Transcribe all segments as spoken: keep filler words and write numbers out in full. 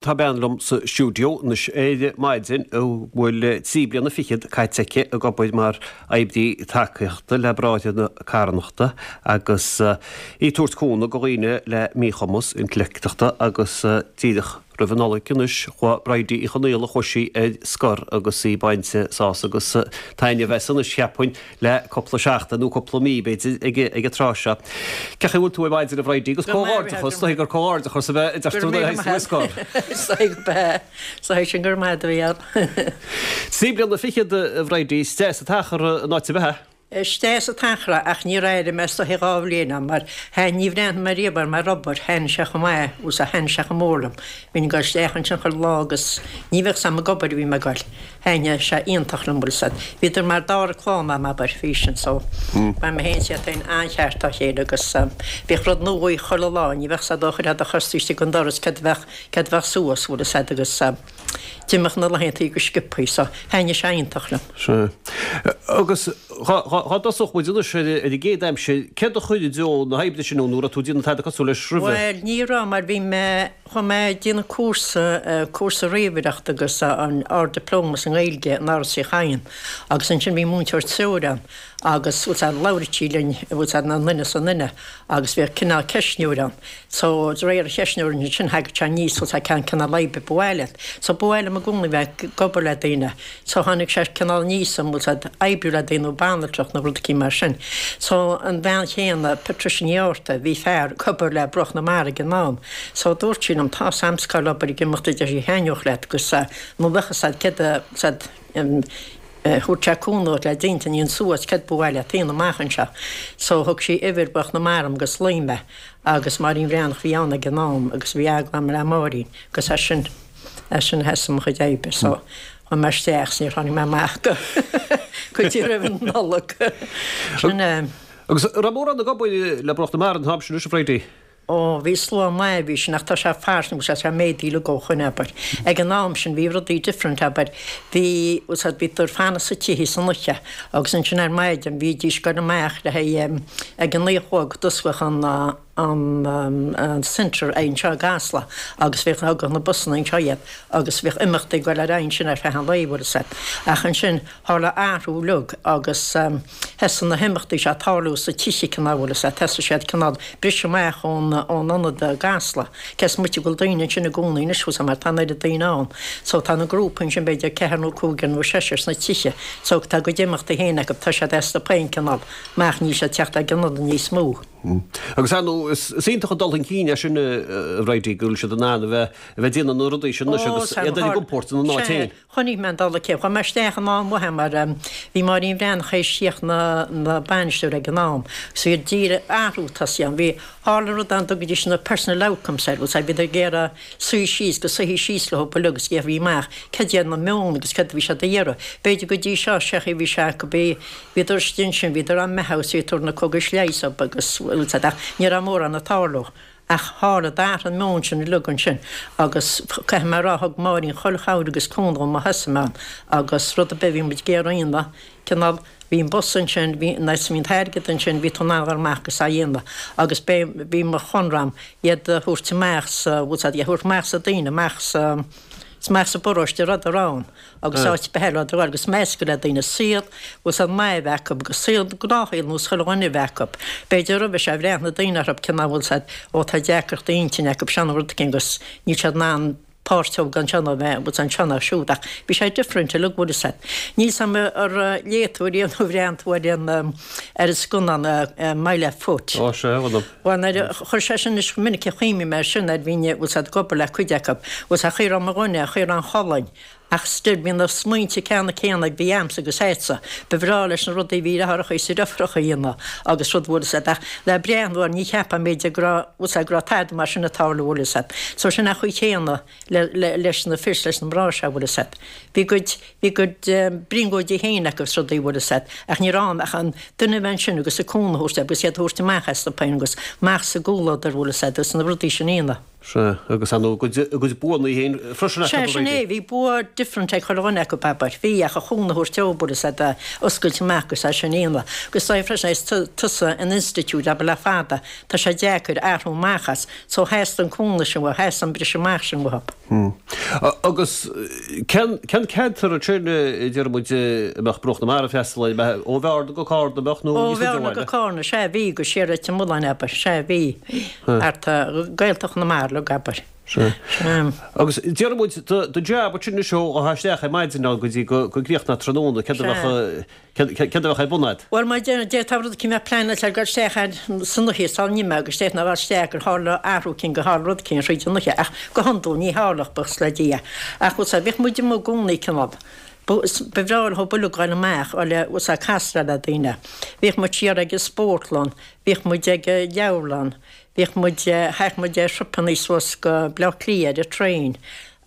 Tá bean liom sa stiúideo anois ar maidin a bhfuil trí bliana fichead caite aici ag obair mar oibrí tacaíochta le Bráithre na Carthanachta agus í ag tabhairt cúnamh do dhaoine le míchumas intleachtachta agus díreach roimh an Nollaig anois chuaigh Bridie Uí Chonaola chuaigh sí ar scor agus í bainte sásamh agus taitneamh as anois cheapfainn le cúpla seachtain nó cúpla mí b'fhéidir ag ag an tráth seo. Cén chaoi a bhfuil tú ar maidin a Bhridie agus comhghairdeachas gur comhghairdeachas a bheith deirtear ar scor. Sa sin gur maith a bhí ann. Trí bliana fichead a Bhridie is deas an t-achar an áit a bheith. Is deas an t-achar ach níor éirigh mé istigh dhá bhliain ann mar thaitn ní bhreathnaigh mé riamh air mar obair, thaitn sé chomh maith agus a thaitn sé chomh mór liom. Bhínn ag dul isteach ansin chuile lá agus ní bheadh 's a'm ag obair a bhí mé ag dul. Thaitn sé iontach liom bhfuil 's a'd. Bhíodar mar dara clann a'm abair, bhí sin so. Ba mé féin is iad féin an-cheart dá chéile agus bhíodh rud nua chuile lá, ní bheadh 's a'd ó chuirfeá do chos istigh an doras céard a bheadh céard a bheadh suas bhfuil 's a'd agus d'imeodh na laethantaí go sciobthaí so thaitn sé iontach liom. Sea. Agus dhá dtosódh muid anois ar an gcéad aimsir, céard a chuir i dtreo na hoibre sin nó raibh tú ag déanamh tada cosúil leis roimhe? Bhuel, ní raibh mar bhí mé, chuaigh mé ag déanamh cúrsa, cúrsa ríomhaireachta agus an Ard-Dioplóma sa nGaeilge in Áras Uí Chadhain agus ansin bhí múinteoir treoir ann agus bhfuil 's a'd labhraíodh sí linn, bhfuil 's a'd an duine is an duine agus bhíodh cineál ceistneoir ann. So de réir an cheistneora ansin thagadh sé aníos bhfuil 's a'd cén cineál oibre ba mhaith leat. So ba mhaith liom i gcónaí bheith ag obair le daoine. So tháinig sé cineál aníos an bhfuil 's a'd oibriú le daoine nó banaltracht nó rud eicínt mar sin. So an bhean chéanna, Patricia Ní Fhátharta, bhí fear ag obair le Bruach na Mara ag an am. So dúirt sí liom, tá 's a'm scoil obair ag imeacht a deir sí thaitneodh leat agus nó bheadh 's a'd céard a 's a'd thabhairt sé cúnamh le d'intinn suas céard ba mhaith leat a dhéanamh amach anseo. So thug sí uimhir Bruach na Mara dom agus ghlaoigh mé agus Máirín Bhreathnach a bhí ann ag an am agus bhí agallamh a'm le Máirín agus as sin as sin a thosaigh mo chuid oibre. So chuaigh mé isteach 's níor tháinig mé amach go go dtí roimh an Nollaig. Sin é. Agus raibh mórán ag obair le Bruach na Mara an t-am sin anois a Bhridie? Ó, bhí slua maith, bhí sin, ach tá sé fairsing, tá sé méadaithe uilig ó shoin, abair. Ag an am sin bhí rudaí different, abair. Bhí, bhfuil 's a'd, bhíodar fanacht sa tithe san oíche agus ansin ar maidin bhídís ag goil amach le haghaidh, ag a naoi a chlog d'osclódh an, an, an centre anseo i gCasla agus bhíodh, thagadh na busanna anseo iad agus bhíodh imeachtaí ag goil ar aghaidh ansin ar feadh an lae, bhfuil 's a'd. Ach ansin tharla athrú uilig agus thosaigh na himeachtaí seo ag tarlú sa tithe cineál, bhfuil 's a'd, thosaigh siad cineál briseadh amach ón ón ionad i gCasla. Cé is moite go bhfuil daoine ansin i gcónaí anois bhfuil 's a'd mar tá an oiread daoine ann. So tá na grúpaí ansin b'fhéidir ceathair nó cúigear nó seisear sna tithe. So tá a gcuid imeachtaí féin acu, tá siad astu féin cineál amach níl siad ag teacht ag an ionad níos mó. Agus ar ndóigh is iontach an dul chun cinn é sin a Bhridie go bhfuil siad in ann a bheith a bheith ag déanamh na rudaí sin anois agus iad ar a gcompord ina n-áit féin. Chonaic mé an dul chun cinn. Chuaigh mé isteach in am mhaith mar bhí Máirín Bhreathnach théis tíocht ina ina bainisteoir ag an am. So bhí díreach athrú tosaithe ann. Bhí tharla rud ann dtugaidís na personal outcomes air, bhfuil 's a'd, bhíodar ag iarraidh suí síos, go suífí síos leo uilig agus gheofaí amach cad iad na meon agus cad a bhí siad a iarraidh. B'fhéidir go dtí seo, sé chaoi bhí sé acu, bhí bhíodar istigh ansin, bhíodar á mbeathú is bhí ag tabhairt na cógais leighis dóibh agus bhfuil 's a'd ach ní raibh mórán ag tarlú. Ach tharla, d'athraigh an meon sin uilig ansin agus caithfidh mé a rá, thug Máirín chuile chabhair agus cúnamh dhom ó thosaigh mé ann agus rud ar bith a bhí muid ag iarraidh a dhéanamh, cineál, bhí an bus ansin, bhí, bhí an t-airgead ansin, bhí tú in ann a dhul amach agus á dhéanamh agus b'é, bhí mo chonradh a'm iad a thabhairt amach sa, bhfuil 's a'd, iad a thabhairt amach sa daoine, amach sa, amach sa bparóiste a rabhadar ann. agus áit ar bith eile a rabhadar agus meascadh le daoine, saol bhfuil 's a'd maith a bheith acu agus saol gnáthshaol nós chuile dhuine a bheith acu. B'fhéidir roimhe seo bhreathnaigh daoine orthu cineál bhfuil 's a'd ó tá deacrachtaí intinne acu seo nó rud éicint agus níl siad in ann páirt a thógáil anseo nó bheith bhfuil 's a'd anseo nó siúd ach bhí sé different uilig bhfuil 's a'd. Níl 's a'm ar léigh tú riamh nó bhreathnaigh tú ar an ar an scannán My Left Foot. Ó sea, bhuel. Bhuel nuair a chuir sé sin is minic a chuimhnigh mé air sin nuair a bhínn bhfuil 's a'd ag obair le cuid acu bhfuil 's a'd chaoi a raibh mo dhuine, chaoi a raibh an cholainn Ach still, bhí na smaointe ceanna céanna ag bhí a'msa agus a'dsa. Ba bhreá leis na rudaí a bhí deartháireacha is deirfiúracha a dhéanamh agus rud bhfuil 'fhios a'd ach le breathnú air ní cheapfá b'fhéidir go raibh bhfuil 's a'd go raibh tada mar sin ag tarlú bhfuil 'fhios a'd. So sin an chaoi chéanna le le leis na fir 's leis na mná seo bhfuil 'fhios a'd. Bhí a gcuid bhí a gcuid brionglóidí féin acu is rudaí bhfuil 'fhios a'd ach ní raibh ann ach an duine a bheith ansin agus a cúnamh a thabhairt agus iad a thabhairt amach astu féin agus amach sa gcomhluadar bhfuil 'fhios a'd agus na rudaí sin a dhéanamh. Sea, agus ar ndóigh a gcuid buanna féin freisin acu. Sea, sin é, bhí bua different ag chuile dhuine acu, abair. Bhí, ach an cúnamh a thabhairt dóibh, bhfuil fhios a'd, oscailt amach agus é sin a dhéanamh. Agus is dóigh freisin, is tusa in institiúid, abair, le fada, tá sé deacair athrú amach as, so theastaigh an cúnamh sin uathu, theastaigh an briseadh amach sin uathu. Agus cén ceantar ansin, a deir muid, a mbeadh Bruach na Mara ag freastal air, ó Bhearna go Cárna, mbeadh, nó Ó Bhearna go Cárna, sea, bhí, go siar Leitir Mealláin, abair, sea, bhí, thart, Gaeltacht Chonamara uilig, abair. Sea. Agus deir muid, do jab ansin anois ó a isteach ar maidin go dtí go gcríochnófá tráthnóna, céard a bheadh, céard a bheadh ar bun a'd? Bhuel, mar d'fhéadfá rud eicínt a bheith pleanáilte le dul isteach ar san oíche sula n-imeofá agus d'fhéadfá a dhul isteach gur tharla athrú eicínt gur tharla rud eicínt thríd an oíche ach go hiondúil ní tharlódh buíochas le Dia. Ach bhfuil 's a'd, bhíodh muid amuigh i gcónaí cineál, ba bhreá leo uilig dhul amach le bhfuil 's a'd castáil le daoine. Bhíodh muid siar ag an spórtlann, bhíodh muid ag an leabharlann, Bhíodh muid, théadh muid ar thripeannaí suas go Bleá Cliath ar an traein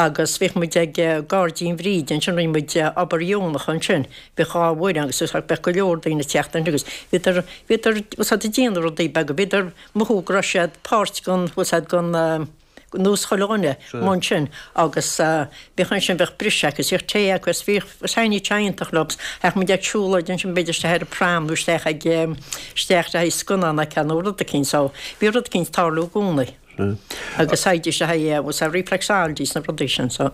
agus bhíodh muid ag Gairdín Bhríde ansin, rinne muid obair dheonach ansin, bhíodh dhá bhfoireann agus bheadh go leor daoine ag teacht ansin agus bhíodar, bhíodar, bhfuil 's a'd ag déanamh rudaí beaga, bhíodar ag mothú go raibh siad páirt den, bhfuil 's a'd, den, nós chuile dhuine amuigh ansin agus bhíodh ansin, bheadh briseadh acu, bhíodh tae acu agus bhíodh, thaitníodh sé iontach leo agus théadh muid ag siúlóid ansin b'fhéidir isteach ar an prom nó isteach ag, isteach le haghaidh scannán a fheiceáil nó rud eicínt so bhí rud eicínt ag tarlú i gcónaí agus théidís le haghaidh, bhfuil 's a'd reflexology is na rudaí sin so.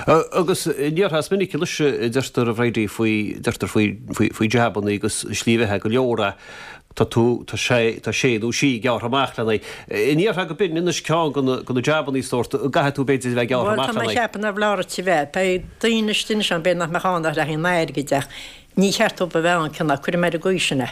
Agus an ndéarfá is minic anois a deirtear a Bhridie faoi, deirtear faoi, faoi, faoi jabannaí agus slí bheatha go leor a, tá tú, tá sé, tá sé nó sí gearrtha amach lena aghaidh. An ndéarfá go b'in anois ceann de na, de na jabannaí sórt a gcaithfidh tú b'fhéidir a bheith gearrtha Bhuel, amach tá mé lena ag aghaidh. ceapadh nár bhleá duit a bheith. Beidh daoine istigh anois ann, b'fhéidir nach mbeadh ann ach le haghaidh an airgid ach ní cheart dóibh a bheith ann, cineál, cuirfidh mé ar an gcaoi sin é.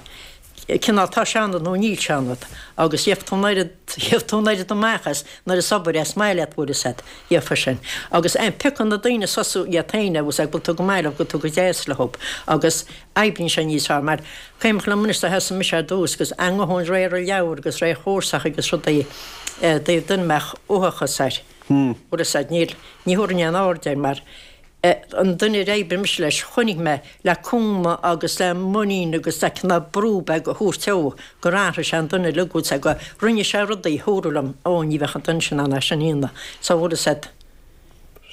Cineál, tá sé ionat nó níl sé ionat agus gheobhaidh tú an oiread, gheobhaidh tú an oiread amach as nuair is obair é is maith leat, bhfuil fhios a'd, gheobhaidh sin. Agus eh, piocann na daoine suas iad féin, bhfuil fhios a'd, go bhfuil tú go maith leo, go bhfuil tú go deas leo agus oibríonn sé níos fearr mar cuimhin liom anois do thosaigh mise ar dtús agus a ngabhann réir an leabhar agus réir chúrsacha agus rudaí i dtaobh duine a mbeadh uathachas air. Bhfuil fhios a'd, níl, ní thabharfainn aon aird air mar an duine ar oibrigh mise leis, chonaic mé le cúnamh agus le muinín agus le cineál brú beag a thabhairt dó gur athraigh sé an duine uilig, bhfuil fhios a'd, go rinne sé rudaí a thabharfadh liom, ó ní bheadh an duine sin in ann é sin a dhéanamh. So bhfuil fhios a'd.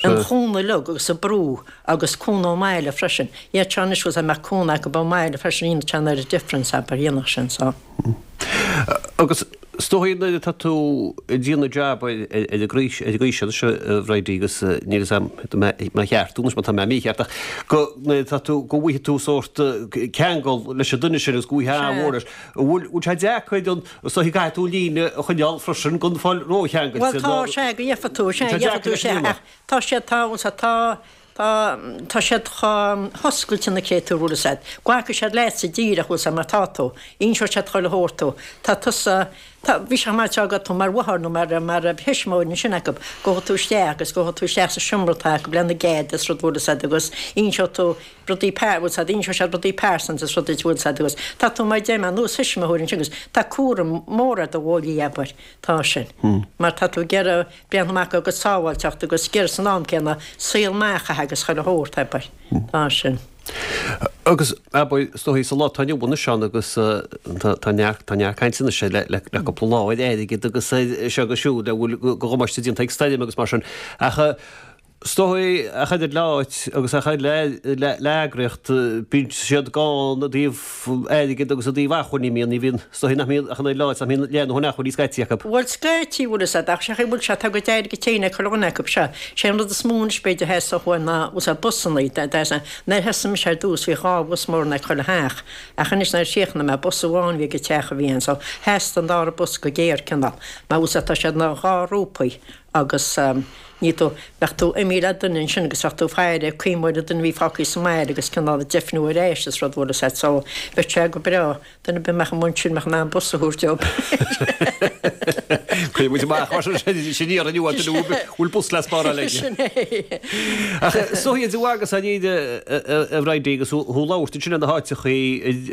An chúnamh uilig agus an brú agus cúnamh ón mbaile freisin. Iad seo anois bhfuil fhios a'd, mbeadh cúnamh acu ón mbaile freisin, dhéanfadh sé an oiread difference abair, dhéanfadh sin so. Agus is dóigh nuair atá tú ag déanamh jab ar an gcaoi ar an gcaoi seo anois a Bhridie agus níl fhios a'm mé cheart anois má tá mé mícheart ach go nuair atá tú go bhfaighidh tú sórt ceangal leis an duine sin agus go bhfaighidh Sea. mhór leis. An bhfuil bhfuil sé deacair an is dóigh go gcaithfidh tú líne a choinneáil freisin gan fáil Bhuel rócheangailte tá nó sea go gheobhaidh tú sea tá gheobhaidh deacair tú leis sea an líne. ach tá siad tá bhfuil fhios a'd tá Tá, tá siad chomh hoscailte na créatúir, bhfuil fhios a'd. Glacfaidh siad leatsa díreach, bhfuil fhios a'd, mar tá tú. Inseoidh siad chuile shórt tú. Tá tusa, tá, bhí sé chomh maith seo agat tú mar mháthair nó mar, mar thuismitheoir ansin acu. Gabhfaidh tú isteach agus gabhfaidh tú isteach sa seomra atá acu lena gcead is rud, bhfuil fhios a'd, agus inseoidh tú rudaí pear, bhfuil fhios a'd, inseoidh siad rudaí pearsanta is rudaí, bhfuil fhios a'd, agus tá tú mar deir mé, nós thuismitheoir ansin agus tá cúram mór ar do bhóillí, abair. Tá sin. Mar tá tú ag iarraidh breathnú amach dá gcuid sábháilteacht agus ag iarraidh san am céanna saol maith a chaitheamh agus chuile shórt, abair. Tá sin. Agus, abair, is dóigh sa lá atá inniu anois ann agus tá neart, tá neart cainte anois le, le, le cúpla lá ar airgead agus ar seo agus siúd le bhfuil go dhamáiste déanta ag stoirm agus mar sin. Ach Is dóigh, ach oiread le áit agus ach oiread le le heagraíocht, bíonn siad gann i dtaobh airgid agus i dtaobh acmhainní, mbíonn, ní bhíonn, is dóigh nach mbíonn ach an oiread le áit nach mbíonn leath a ndóthain acmhainní scaití acu. Bhuel, scaití, bhfuil fhios a'd, ach sé chaoi bhfuil sé, tá a gcuid airgid féin ag chuile dhuine acu, sea. Sé an rud is mó anois b'fhéidir a theastódh uainn ná, bhfuil fhios a'd, busannaí, nuair a thosaigh mise ar dtús bhí dhá bhus mór ag chuile theach, ach anois nuair a chríochnaigh mé, bus amháin a bhí ag an teach a bhí ann, so theastaigh an dara bus go géar cineál, mar bhfuil fhios a'd, tá siad ina dhá ghrúpaí agus ní tú, bheadh tú imithe le duine ansin agus bheadh tú ag faire cuimhneamh ar an duine a bhí fágtha sa mbaile agus cineál ag deimhniú ar ais is rud bhfuil fhios a'd so bheadh sé go breá duine ar bith a mbeadh amuigh ansin mbeadh in ann bus a thabhairt dóibh. Cuirfidh muid amach mar sin sin iarraidh inniu ar duine a bhfuil bus le spáráil aige. Sin é. Ach is dóigh de agus a a Bhridie agus thú ag labhairt ansin ar na háiteachaí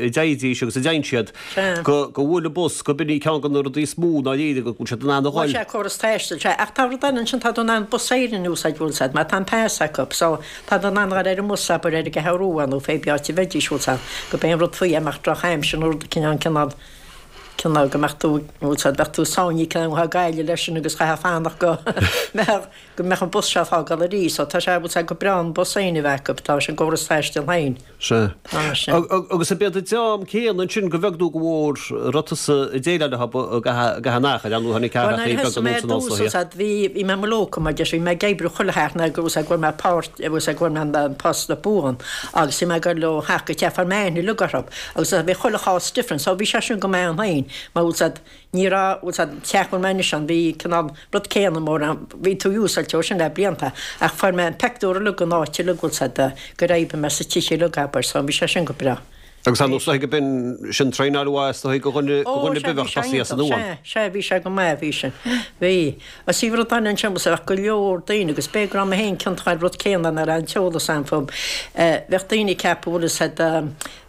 a dteighdís agus a dteigheann siad go go bhfuil an bus go b'in í ceann de na rudaí is mó ndáiríre go bhfuil siad in ann a Bhuel dhul. sea córas taistil sea ach tá rud eile ansin tá tú in ann Bus Éireann a úsáid bhfuil fhios a'd mar tá an pas acu so tá tú in ann dhul ar an mbus abair ar an gCeathrú Rua nó pé áit a bheidís bhfuil fhios a'd go b'é an rud faoi é amach drochaimsir nó rud cineál cineál Cineál go mbeadh tú, bhfuil 's a'd, bheadh tú sáinnithe cineál thá Gaillimh leis sin agus chaithfeá fanacht go mbeadh, go mbeadh an bus seo ag fágáil arís. So tá sé, bhfuil 's a'd, go breá an bus féin a bheith acu, tá sé an gcóras taistil féin. Sea. Tá sé. Agus ab iad an dream céanna ansin go bheag nó go mhór a raibh tusa ag déileáil leo i gcaitheamh an achair, ar ndóigh tháinig Bhuel nuair ceathrachaí a beaga thosaigh mé anuas ar an dtús, ollscoil. bhfuil 's a'd, bhí, bhí mé i mo locum, mar deir, bhí mé ag oibriú chuile sheachtain go bhfuil 's a'd, go bhfuair mé páirt, bhfuil 's a'd, go bhfuair mé an post buan agus bhí mé ag dul ó theach go teach, fuair mé aithne uilig orthu agus bhí chuile chás different so bhí sé sin go maith ann féin mar bhfuil 's a'd ní raibh bhfuil 's a'd teach bhfuil mé anois ann bhí cineál rud céanna mórán bhí tú úsáilte ó sin le blianta ach fuair mé an peictiúr uilig an áit uilig bhfuil 's a'd gur oibrigh mé sa teach uilig abair so bhí sé sin go breá. Agus ar ndóigh go b'in sin traenáil mhaith is dóigh do dhuine do Ó dhuine sea bhí bith sé tosaí as an iontach nua. sea sea bhí sé go maith bhí sin bhí agus bhí rud eile ansin bhfuil 's a'd bheadh go leor daoine agus b'fhéidir go raibh mé féin ciontach ar rud céanna nach raibh an t-eolas a'm fúm bheadh daoine ag ceapadh bhfuil 'fhios a'd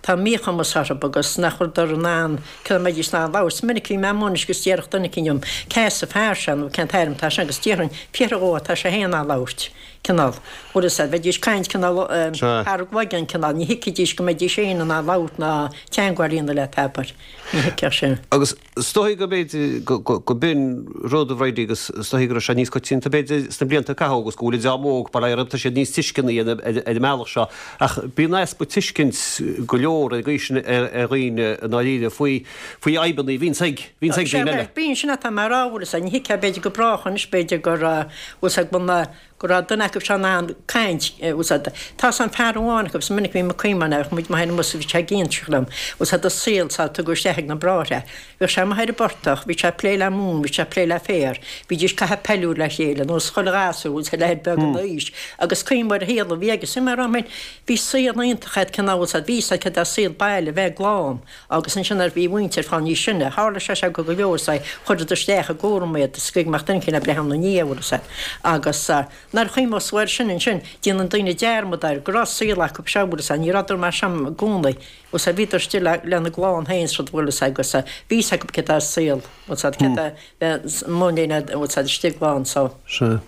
tá míchumas orthu agus nach bhfuileadar in ann cé mbeidís in ann labhairt. Is minic a bhí mé amuigh anois agus déarfadh duine eicínt liom cé as an fear seo nó cén t-ainm atá sé agus déarfainn fiafraigh dhó tá sé féin in ann labhairt cineál bhfuil 'fhios a'd bheidís ag caint cineál thar a gcloigeann cineál ní thuigfidís go mbeidís féin in ann labhairt ná teagmháil a dhéanamh leat abair ní thuigfeadh sin. Agus is dóigh go b'fhéidir go b'in rud a Bhridie agus is dóigh go raibh sé níos coitianta b'fhéidir sna blianta a caitheadh agus go bhfuil an dream óg bail ó Dhia orthu tá siad níos tuisceanaí ar an mbealach seo ach bíonn easpa tuiscint go leor ag aois sin ar dhaoine i ndáiríre faoi faoi fhadhbanna a bhíonns ag bhíonns ag daoine eile. Bíonn sin atá mé a rá bhfuil 'fhios a'd ní thuigfeá b'fhéidir go brách anois b'fhéidir gur bhfuil 'fhios a'd go bhfuil go raibh duine acu seo in ann caint, bhfuil 'fhios a'd. Tá 'fhios a'm fear amháin acu, is minic a bhí mé ag cuimhneamh air, bheadh muid amuigh ar an mbus bhí sé ag inseacht liom, bhfuil 'fhios a'd, a saol sá tugadh isteach ag na bráithre. Bhíodh sé amuigh ar an bportach, bhí sé ag plé le móin, bhí sé ag plé le féar, bhídís ag caitheamh peiliúir le chéile, nós chuile ghasúr, bhfuil 'fhios a'd, leaid beag ina aois, agus cuimhnigh ar an shaol a bhí aige. Is mé a rá féin, bhí saol iontach agat, cineál, bhfuil 'fhios a'd, bhí 'fhios a'd céard é saol baile, bheith glan, agus ansin nuair a bhí a mhuintir fá níos sine, tharla sé seo go go leor, is chuireadar isteach i gcúram iad, is go mbeadh duine eicínt le breith ina ndiaidh, bhfuil 'fhios a'd, agus nuair a chuimhneos tú air sin ansin, déanann daoine dearmad air, go raibh saol acu seo, bhfuil 'fhios a'd, ní rabhadar mar seo i gcónaí, bhfuil 'fhios a'd, bhíodar istigh le, lena gclann féin is rud, bhfuil 'fhios a'd, agus bhí 'fhios acu céard é saol, bhfuil 'fhios a'd, céard é bheith amuigh lena, bhfuil 'fhios a'd, istigh lán, so. Sea.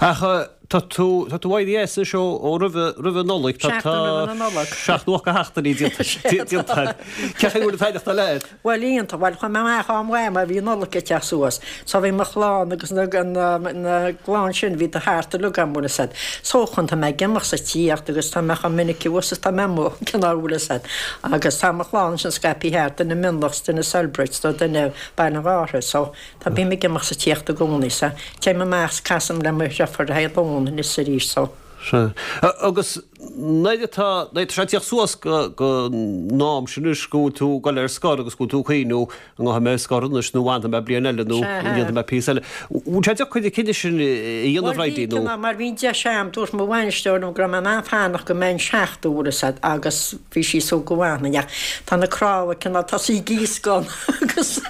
Ach tá tú, tá tú éirithe as anois ó, ó roimhe, roimhe an Nollaig, tá, Seachtain roimhe na Nollag. seacht nó ocht de sheachtainí déanta, déanta a'd. Cén chaoi a bhfuil an t-aireachtáil agat? Bhuel iontach, bhuel chuaigh mé amach am mhaith mar bhí an Nollaig ag teacht suas. So bhí mo chlann agus na, na, na gclann sin bhí thart uilig agam bhfuil 'fhios a'd. So chun tá mé ag imeacht sa tíocht agus tá mé chomh minic abhus is tá mé amuigh, cineál bhfuil 'fhios a'd. Agus tá mo chlann sin scaipthe thart, duine i Mionlach 's duine i Celbridge, so duine Baile an Ghártha, so tá bím ag imeacht 's ag tíocht i gcónaí so téim amach 's casaim le mo dhriofúr le haghaidh lón anois arís so. Sea. Agus nuair atá, nuair atá sé ag tíocht suas go, go n-am sin anois go bhfuil tú ag dul ar scor agus go bhfuil tú ag cuimhniú an ngabhfaidh mé ar scor anois nó an bhfanfaidh mé bliain eile nó Sea. an ndéanfaidh mé píosa eile. Bhfuil sé deacair an cinneadh sin a dhéanamh Bhuel bhí Bridie nó? cineál mar bhí an deis a'm, dúirt mo bhainisteoir liom go raibh mé in ann fanacht go mbeinn seachtó bhfuil 'fhios a'd agus bhí sí ag súil go bhfanfainn ach tá na cnámha cineál tosaithe ag gíoscán agus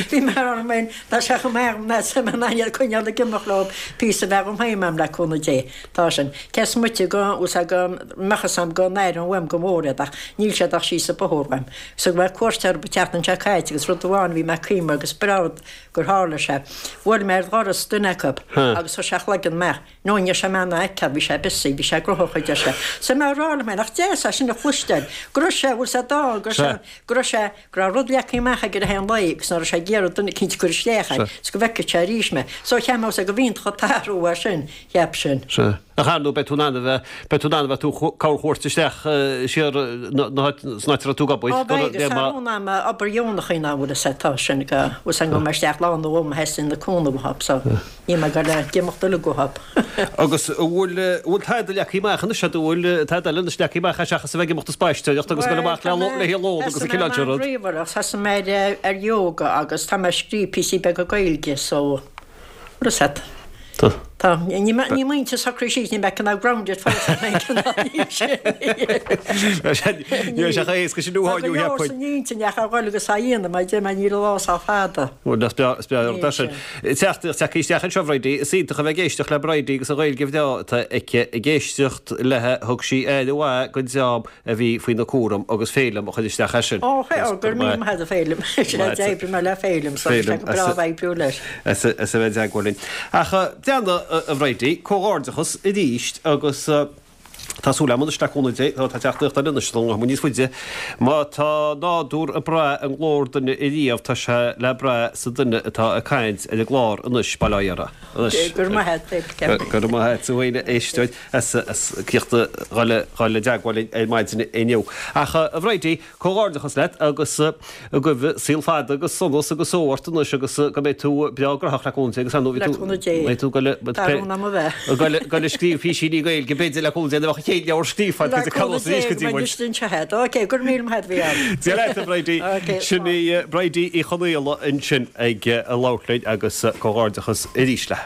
bhí mé ar m'fhéin tá sé chomh maith agam ná tá mé in ann iad a choinneáil ag imeacht leo píosa bheag agam féin a'm le cúnamh Dé. Tá sin. Cé is moite go bhfuil 's a'd go mbeadh 'fhios a'm go n-aireoinn uaim go mór iad ach níl siad ach síos an bóthar uaim. So go mbeadh cuairt orthu an tseachtain seo caite agus rud amháin a bhí mé ag cuimhneamh agus breá rud gur tharla sé. Bhuail mé ar dhoras duine acu agus chuir sé a chloigeann amach. No ní raibh sé mé in ann a fheiceáil, bhí sé busy, bhí sé gnóthach a deir sé. So mé a rá liom féin, nach deas é sin a chloisteáil, go raibh sé, bhfuil 's a'd, go raibh sé, go raibh sé, go raibh rud leagtha amach aige le haghaidh an lae agus nach raibh sé ag iarraidh duine eicínt a chur isteach air is go bhfeicfeadh sé arís mé. So cheap mé go bh'iontach an t-athrú é sin, cheap sin. Sea. Ach ar ndóigh beidh tú in ann a bheith, beidh tú in ann a bheith tú corrchuairt isteach siar san áit a raibh tú ag obair. Ó beidh agus tá rún agam obair dheonach a dhéanamh bhfuil 'fhios a'd tá sin go, bhfuil 's a'd go mbeidh mé isteach lá nó dhó má theastaíonn na cúnamh uathu so níl mé ag dul ag imeacht uilig uathu. Agus an bhfuil, an bhfuil tada leagtha amach anois agat, an bhfuil tada eile anois leagtha amach seachas a bheith ag imeacht ag spaisteoireacht agus ag dul amach le le haghaidh lón agus an cineál sin rud? Ríomhaireacht, thosaigh mé ar ar yoga agus tá mé ag scríobh píosaí beaga Gaeilge so bhfuil 'fhios a'd. Tá. Tá. Ní ní muintir socraí síos, ní bheidh cineál grounded fós ach mé cineál níl sé. Ní raibh sé chomh héasca sin Tá uaidh go inniu leor cheapfainn. san intinn ach a dhul agus á dhéanamh mar deir mé níl an lá sách fada. Bhuel, is breá is breá Níl rud é sin. sé. Teachtaireacht tagtha isteach anseo Bridie, is iontach a bheith ag éisteacht le Bridie agus an Ghaeilge bhreá atá aici ag éisteacht léi thug sí aire mhaith don dream a bhí faoina cúram agus Féilim a chuir isteach é sin. Ó, ó, go raibh míle maith agat a Féilim. D'oibrigh mé le Féilim so bhí sé go breá a bheith ag oibriú leis. As a bheith i dteagmháil linn. Ach déana a Bhridie, comhghairdeachas arís agus Tá súil agam anois le cúnamh Dé, tá teachtaireacht eile anois don nguth níos faide. Má tá nádúr ag brath i nglór duine ariamh tá sé le brath sa duine atá ag caint ar an gclár anois, bail ó Dhia uirthi. Anois. Go raibh maith agat. Go raibh maith agat a dhaoine éisteoir as as cíocht a dhul dhul i dteagmháil linn ar maidin inniu. Ach a Bhridie, comhghairdeachas leat agus go gcuibhe saol fada agus sonas agus só ort anois agus go mbeidh tú breá graitheach le cúnamh Dé agus ar ndóigh Le cúnamh Dé. beidh tú ag goil Tá rún agam a bheith. ag goil ag scríobh písíní Gaeilge b'fhéidir le cúnamh Dé nuair a bheadh an chéad leabhar scríofa agat Le cúnamh Dé go mbeidh mise anseo agat. Ok, go raibh míle maith agat a Mhícheáil. Dia leat a Bhridie. Ok, Sin í Bridie Uí Chonaola ansin ag labhairt linn agus comhghairdeachas arís léi.